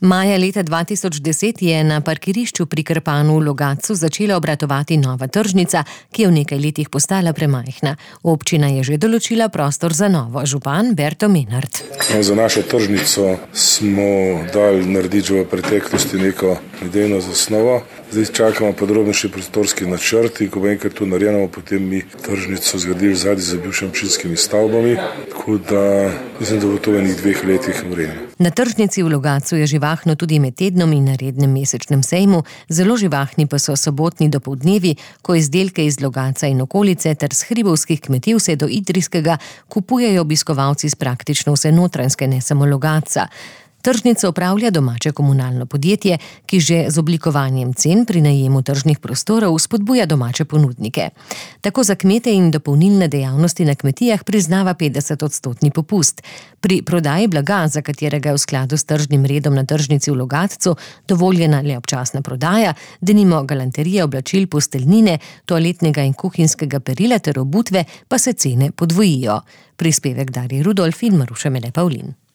Maja leta 2010 je na parkirišču pri Krpanu v Logatcu začela obratovati nova tržnica, ki je v nekaj letih postala premajhna. Občina je že določila prostor za novo. Župan Berto Menart. Za našo tržnico smo dali narediti že v preteklosti neko idejno zasnovo. Zdaj čakamo podrobnejši prostorski načrti, ko bo enkrat to narejeno, potem mi tržnico zgradili zadnji za bivšimi občinskimi stavbami, tako da mislim, da bo to v enih 2 letih vreme. Na tržnici v Logatcu je živahno tudi med tednom in na rednem mesečnem sejmu, zelo živahni pa so sobotni dopoldnevi, ko izdelke iz Logatca in okolice ter s hribovskih kmetij vse do Idrijskega kupujejo obiskovalci z praktično vse Notranjske, ne samo Logatca. Tržnico upravlja domače komunalno podjetje, ki že z oblikovanjem cen pri najemu tržnih prostorov spodbuja domače ponudnike. Tako za kmete in dopolnilne dejavnosti na kmetijah priznava 50% popust. Pri prodaji blaga, za katerega je v skladu s tržnim redom na tržnici v Logatcu dovoljena le občasna prodaja, denimo galanterije, oblačil, posteljnine, toaletnega in kuhinjskega perila ter obutve, pa se cene podvojijo. Prispevek Darje Rudolf in Maruša Mele Pavlin.